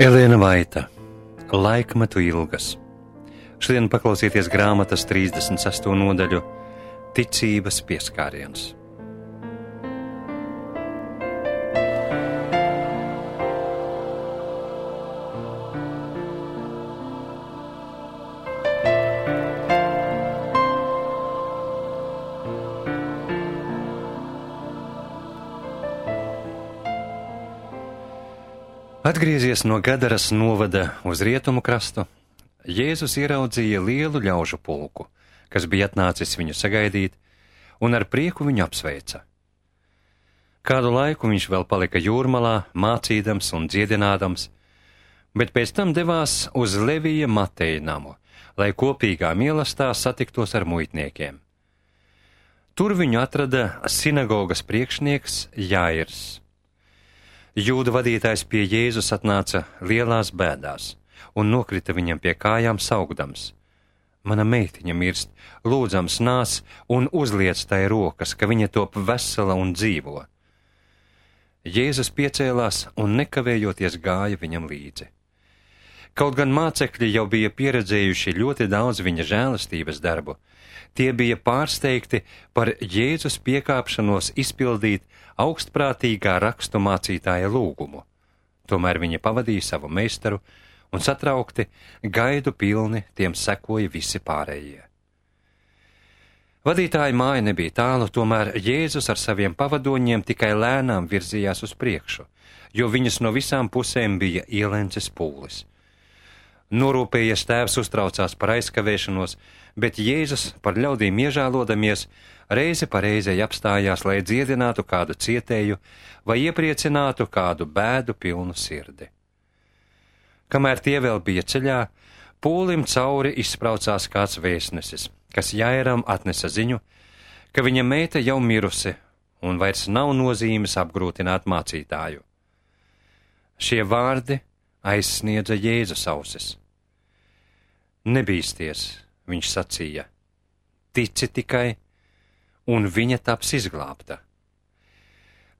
Elēna Vaita, Laikmetu ilgas. Šodien paklausieties grāmatas 36. nodaļu Ticības pieskāriens. Atgriezies no Gadaras novada uz rietumu krastu, Jēzus ieraudzīja lielu ļaužu pulku, kas bija atnācis viņu sagaidīt, un ar prieku viņu apsveica. Kādu laiku viņš vēl palika jūrmalā, mācīdams un dziedinādams, bet pēc tam devās uz Levija Mateja namu, lai kopīgā mīlestībā satiktos ar muitniekiem. Tur viņu atrada sinagogas priekšnieks Jāirs. Jūdu vadītājs pie Jēzus atnāca lielās bēdās un nokrita viņam pie kājām saugdams: "Mana meitiņa mirst, lūdzams nāc un uzliec tai rokas, ka viņa top vesela un dzīvo." Jēzus piecēlās un nekavējoties gāja viņam līdzi. Kaut gan mācekļi jau bija pieredzējuši ļoti daudz viņa žēlastības darbu, tie bija pārsteigti par Jēzus piekāpšanos izpildīt augstprātīgā rakstu mācītāja lūgumu. Tomēr viņi pavadīja savu meistaru un satraukti, gaidu pilni tiem sekoja visi pārējie. Vadītāja māja nebija tālu, tomēr Jēzus ar saviem pavadoņiem tikai lēnām virzījās uz priekšu, jo viņus no visām pusēm bija ielencis pūlis. Norūpējies tēvs uztraucās par aizkavēšanos, bet Jēzus, par ļaudīm iežēlodamies, reizi pa reizei apstājās, lai dziedinātu kādu cietēju vai iepriecinātu kādu bēdu pilnu sirdi. Kamēr tie vēl bija ceļā, pūlim cauri izspraucās kāds vēstnesis, kas Jāiram atnesa ziņu, ka viņa meita jau mirusi un vairs nav nozīmes apgrūtināt mācītāju. Šie vārdi aizsniedza Jēzus ausis. "Nebīsties," viņš sacīja, "tici tikai, un viņa taps izglābta."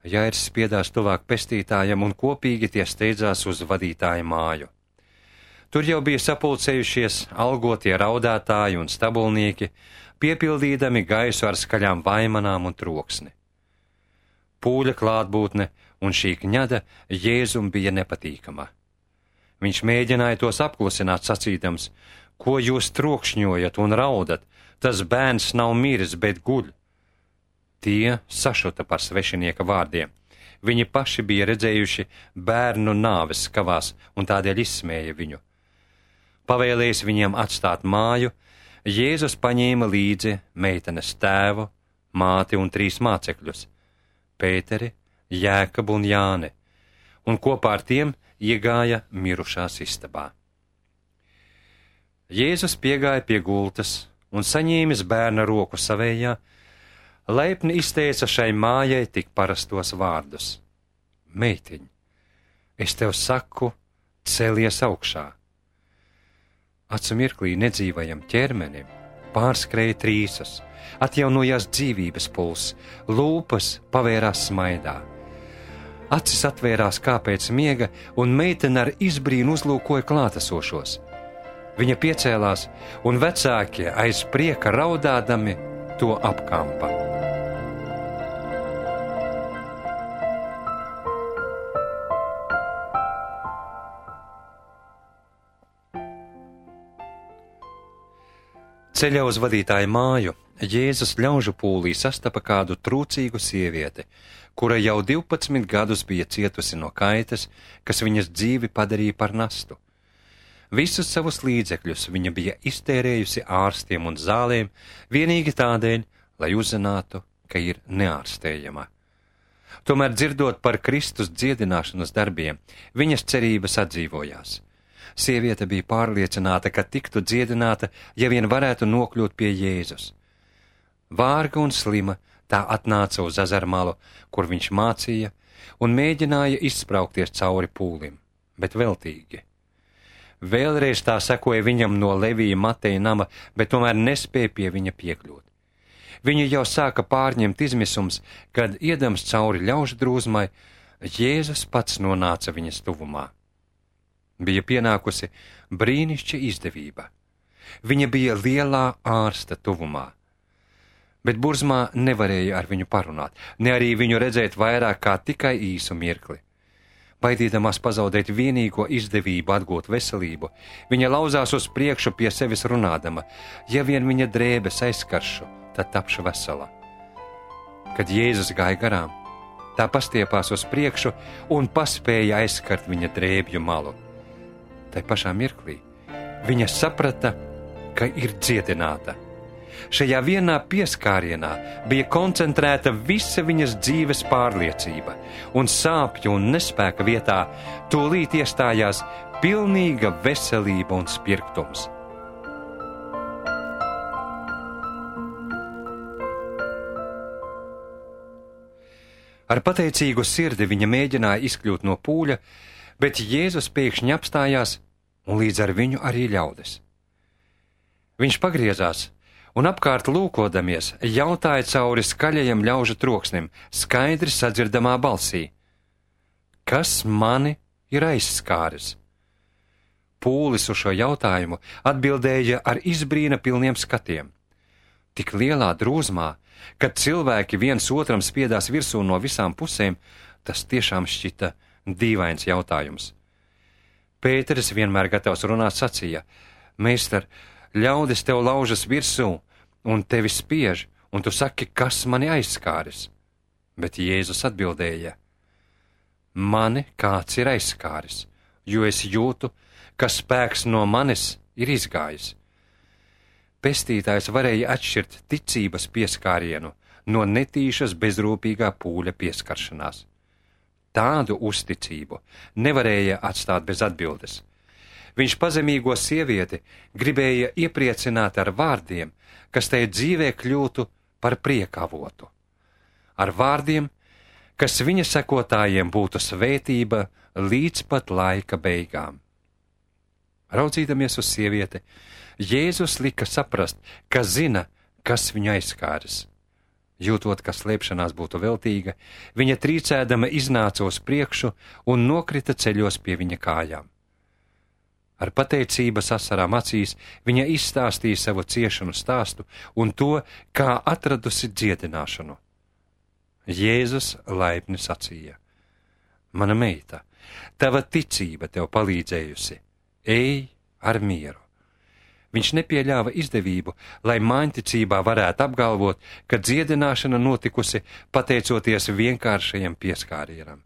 Jāirs spiedās tuvāk pestītājam, un kopīgi tie steidzās uz vadītāja māju. Tur jau bija sapulcējušies algotie raudātāji un stabulnieki, piepildīdami gaisu ar skaļām vaimanām un troksni. Pūļa klātbūtne un šī kņada Jēzum bija nepatīkama. Viņš mēģināja tos apklusināt, sacīdams: "Ko jūs trokšņojat un raudat? Tas bērns nav miris, bet guļ." Tie sašuta par svešinieka vārdiem. Viņi paši bija redzējuši bērnu nāves skavās un tādēļ izsmēja viņu. Pavēlējis viņiem atstāt māju, Jēzus paņēma līdzi meitenes tēvu, māti un 3 mācekļus – Pēteri, Jēkabu un Jāni, un kopā ar tiem iegāja mirušās istabā. Jēzus piegāja pie gultas un saņēmis bērna roku savējā, laipni izteica šai mājai tik parastos vārdus: "Meitiņ, es tev saku, celies augšā." Acu mirklī nedzīvajam ķermenim pārskrēja trīsas, atjaunojās dzīvības pulss, lūpas pavērās smaidā. Acis atvērās kā pēc miega, un meitene ar izbrīnu uzlūkoja klātesošos. Viņa piecēlās, un vecākie aiz prieka raudādami to apkampa. Ceļā uz vadītāja māju Jēzus ļaužu pūlī sastapa kādu trūcīgu sievieti, kura jau 12 gadus bija cietusi no kaitas, kas viņas dzīvi padarīja par nastu. Visus savus līdzekļus viņa bija iztērējusi ārstiem un zālēm, vienīgi tādēļ, lai uzzinātu, ka ir neārstējama. Tomēr, dzirdot par Kristus dziedināšanas darbiem, viņas cerības atdzīvojās. Sieviete bija pārliecināta, ka tiktu dziedināta, ja vien varētu nokļūt pie Jēzus. Vārga un slima tā atnāca uz ezermalu, kur viņš mācīja, un mēģināja izspraukties cauri pūlim, bet veltīgi. Vēlreiz tā sekoja viņam no Levija Mateja nama, bet tomēr nespēja pie viņa piekļūt. Viņu jau sāka pārņemt izmisums, kad, iedams cauri ļaužu drūzmai, Jēzus pats nonāca viņas tuvumā. bija pienākusi brīnišķa izdevība. Viņa bija lielā ārsta tuvumā, bet Burzmā nevarēja ar viņu parunāt, ne arī viņu redzēt vairāk kā tikai īsu mirkli. Baidīdamās pazaudēt vienīgo izdevību atgūt veselību, viņa lauzās uz priekšu pie sevis runādama: ja vien viņa drēbes aizskaršu, tad tapšu vesela. Kad Jēzus gāja garām, tā pastiepās uz priekšu un paspēja aizskart viņa drēbju malu. Tai pašā mirklī viņa saprata, ka ir dziedināta. Šajā vienā pieskārienā bija koncentrēta visa viņas dzīves pārliecība, un sāpju un nespēka vietā tūlīt iestājās pilnīga veselība un spirgtums. Ar pateicīgu sirdi viņa mēģināja izkļūt no pūļa, bet Jēzus pēkšņi apstājās, un līdz ar viņu arī ļaudis. Viņš pagriezās un apkārt lūkodamies jautāja cauri skaļajam ļaužu troksnim, skaidri sadzirdamā balsī: kas mani ir aizskāris? Pūlis uz šo jautājumu atbildēja ar izbrīna pilniem skatiem. Tik lielā drūzmā, kad cilvēki viens otram spiedās virsū no visām pusēm, tas tiešām šķita dīvains jautājums. Pēteris, vienmēr gatavs runāt, sacīja: Meister, ļaudis tev laužas virsū un tevi spiež, un tu saki, kas mani aizskāris? Bet Jēzus atbildēja: mani kāds ir aizskāris, jo es jūtu, ka spēks no manis ir izgājis. Pestītājs varēja atšķirt ticības pieskārienu no netīšas bezrūpīgā pūļa pieskaršanās. Tādu uzticību nevarēja atstāt bez atbildes. Viņš pazemīgo sievieti gribēja iepriecināt ar vārdiem, kas tai dzīvē kļūtu par priekavotu. Ar vārdiem, kas viņa sekotājiem būtu svētība līdz pat laika beigām. Raudzīdamies uz sievieti, Jēzus lika saprast, ka zina, kas viņu aizskāris. Jūtot, ka slēpšanās būtu veltīga, viņa trīcēdama iznāca uz priekšu un nokrita ceļos pie viņa kājām. Ar pateicības asarām acīs viņa izstāstīja savu ciešanu stāstu un to, kā atradusi dziedināšanu. Jēzus laipni sacīja: mana meita, tava ticība tev palīdzējusi, ej ar mieru. Viņš nepieļāva izdevību, lai māņticībā varētu apgalvot, ka dziedināšana notikusi pateicoties vienkāršajam pieskārienam.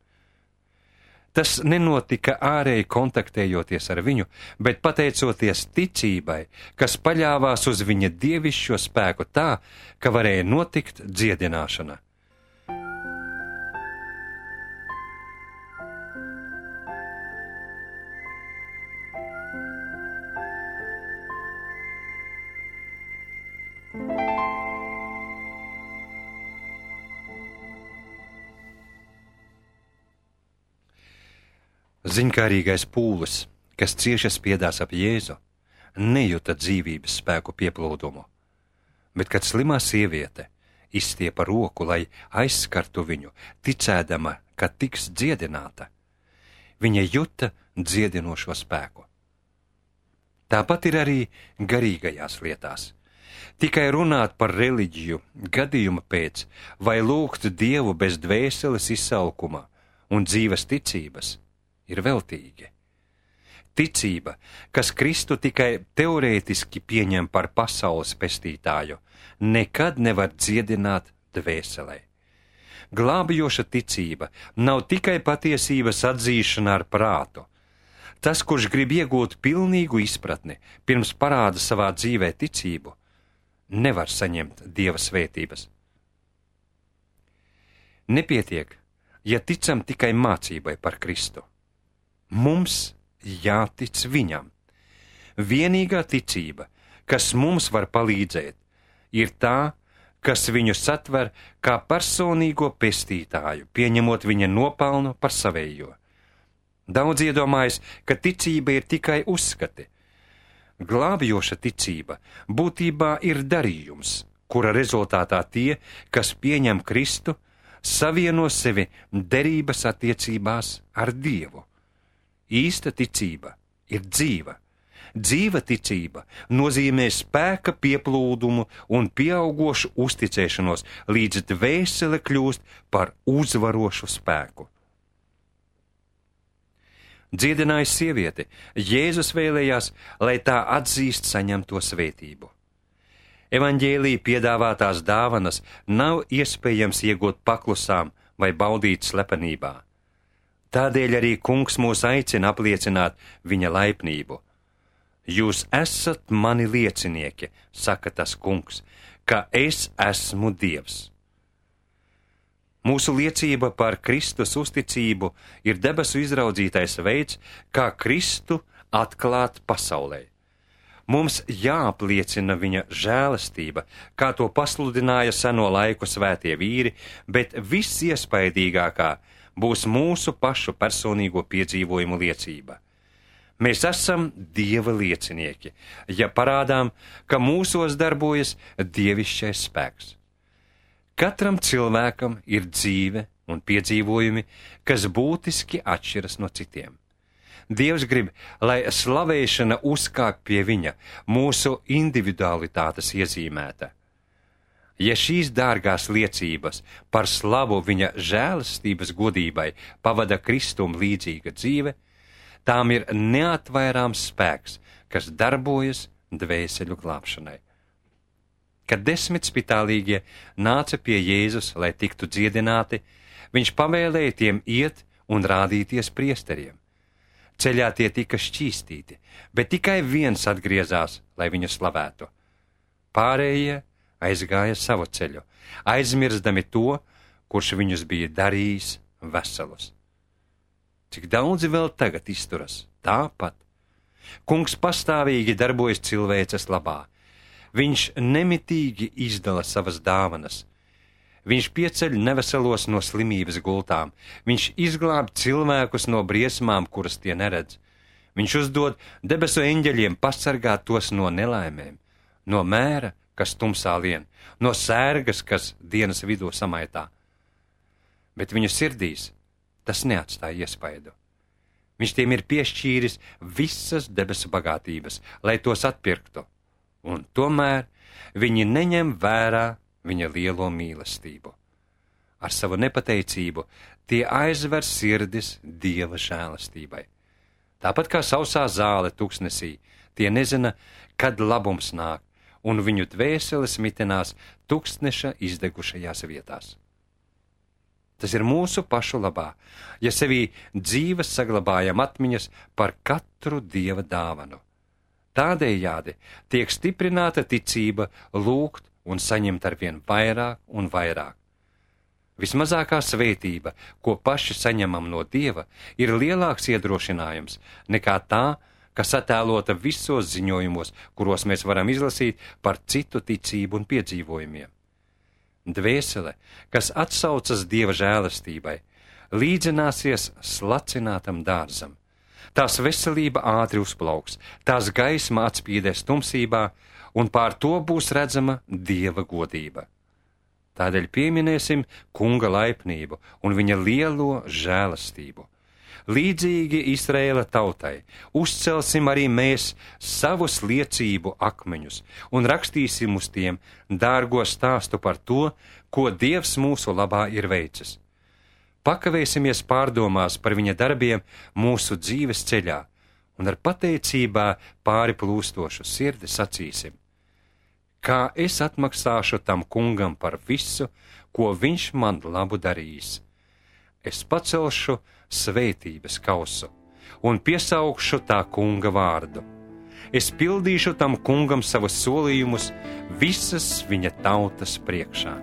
Tas nenotika ārēji kontaktējoties ar viņu, bet pateicoties ticībai, kas paļāvās uz viņa dievišķo spēku tā, ka varēja notikt dziedināšana. Ziņkārīgais pūlis, kas cieši spiedās ap Jēzu, nejuta dzīvības spēku pieplūdumu, bet kad slimā sieviete izstiepa roku, lai aizskartu viņu, ticēdama, ka tiks dziedināta, viņa juta dziedinošo spēku. Tāpat ir arī garīgajās lietās. Tikai runāt par reliģiju gadījuma pēc vai lūgt Dievu bez dvēseles izsalkuma un dzīves ticības ir veltīgi. Ticība, kas Kristu tikai teorētiski pieņem par pasaules pestītāju, nekad nevar dziedināt dvēselē. Glābjoša ticība nav tikai patiesības atzīšana ar prātu. Tas, kurš grib iegūt pilnīgu izpratni, pirms parāda savā dzīvē ticību, nevar saņemt Dieva svētības. Nepietiek, ja ticam tikai mācībai par Kristu. Mums jātic viņam. Vienīgā ticība, kas mums var palīdzēt, ir tā, kas viņu satver kā personīgo pestītāju, pieņemot viņa nopelnu par savējo. Daudz iedomājas, ka ticība ir tikai uzskati. Glābjoša ticība būtībā ir darījums, kura rezultātā tie, kas pieņem Kristu, savieno sevi derības attiecībās ar Dievu. Īsta ticība ir dzīva. Dzīva ticība nozīmē spēka pieplūdumu un pieaugošu uzticēšanos, līdz dvēsele kļūst par uzvarošu spēku. Dziedināja sievieti, Jēzus vēlējās, lai tā atzīst saņemto svētību. Evaņģēlija piedāvātās dāvanas nav iespējams iegūt paklusām vai baudīt slepenībā. Tādēļ arī Kungs mūs aicina apliecināt viņa laipnību. Jūs esat mani liecinieki, saka tas Kungs, ka es esmu Dievs. Mūsu liecība par Kristus uzticību ir debesu izraudzītais veids, kā Kristu atklāt pasaulē. Mums jāapliecina viņa žēlastība, kā to pasludināja seno laiku svētie vīri, bet visiespaidīgākā būs mūsu pašu personīgo piedzīvojumu liecība. Mēs esam Dieva liecinieki, ja parādām, ka mūsos darbojas dievišķais spēks. Katram cilvēkam ir dzīve un piedzīvojumi, kas būtiski atšķiras no citiem. Dievs grib, lai slavēšana uzkāk pie viņa, mūsu individualitātes iezīmēta. Ja šīs dārgās liecības par slavu viņa žēlastības godībai pavada Kristum līdzīga dzīve, tām ir neatvairāms spēks, kas darbojas dvēseļu glābšanai. Kad 10 spitālīgie nāca pie Jēzus, lai tiktu dziedināti, viņš pavēlēja tiem iet un rādīties priesteriem. Ceļā tie tika šķīstīti, bet tikai viens atgriezās, lai viņu slavētu. Pārējie aizgāja savu ceļu, aizmirstami to, kurš viņus bija darījis veselus. Cik daudzi vēl tagad izturas tāpat? Kungs pastāvīgi darbojas cilvēces labā. Viņš nemitīgi izdala savas dāvanas. Viņš pieceļ neveselos no slimības gultām. Viņš izglāb cilvēkus no briesmām, kuras tie neredz. Viņš uzdod debesu eņģeļiem pasargāt tos no nelaimēm, no mēra, kas tumsā lien, no sērgas, kas dienas vidū samaitā. Bet viņu sirdīs tas neatstāja iespaidu. Viņš tiem ir piešķīris visas debesu bagātības, lai tos atpirktu, un tomēr viņi neņem vērā viņa lielo mīlestību. Ar savu nepateicību tie aizver sirdis Dieva žēlastībai. Tāpat kā sausā zāle tuksnesī, tie nezina, kad labums nāk, un viņu dvēseles mitinās tuksneša izdegušajās vietās. Tas ir mūsu pašu labā, ja sevī dzīves saglabājam atmiņas par katru Dieva dāvanu. Tādējādi tiek stiprināta ticība lūgt un saņemt arvien vairāk un vairāk. Vismazākā svētība, ko paši saņemam no Dieva, ir lielāks iedrošinājums nekā tā, kas attēlota visos ziņojumos, kuros mēs varam izlasīt par citu ticību un piedzīvojumiem. Dvēsele, kas atsaucas Dieva žēlastībai, līdzināsies slacinātam dārzam. Tās veselība ātri uzplauks, tās gaisma atspīdēs tumsībā, un pār to būs redzama Dieva godība. Tādēļ pieminēsim Kunga laipnību un viņa lielo žēlastību. Līdzīgi Izraēla tautai uzcelsim arī mēs savus liecību akmeņus un rakstīsim uz tiem dārgo stāstu par to, ko Dievs mūsu labā ir veicis. Pakavēsimies pārdomās par viņa darbiem mūsu dzīves ceļā un ar pateicībā pāri plūstošu sirdi sacīsim: kā es atmaksāšu tam Kungam par visu, ko viņš man labu darījis. Es pacelšu svētības kausu un piesaukšu tā Kunga vārdu. Es pildīšu tam Kungam savus solījumus visas viņa tautas priekšā.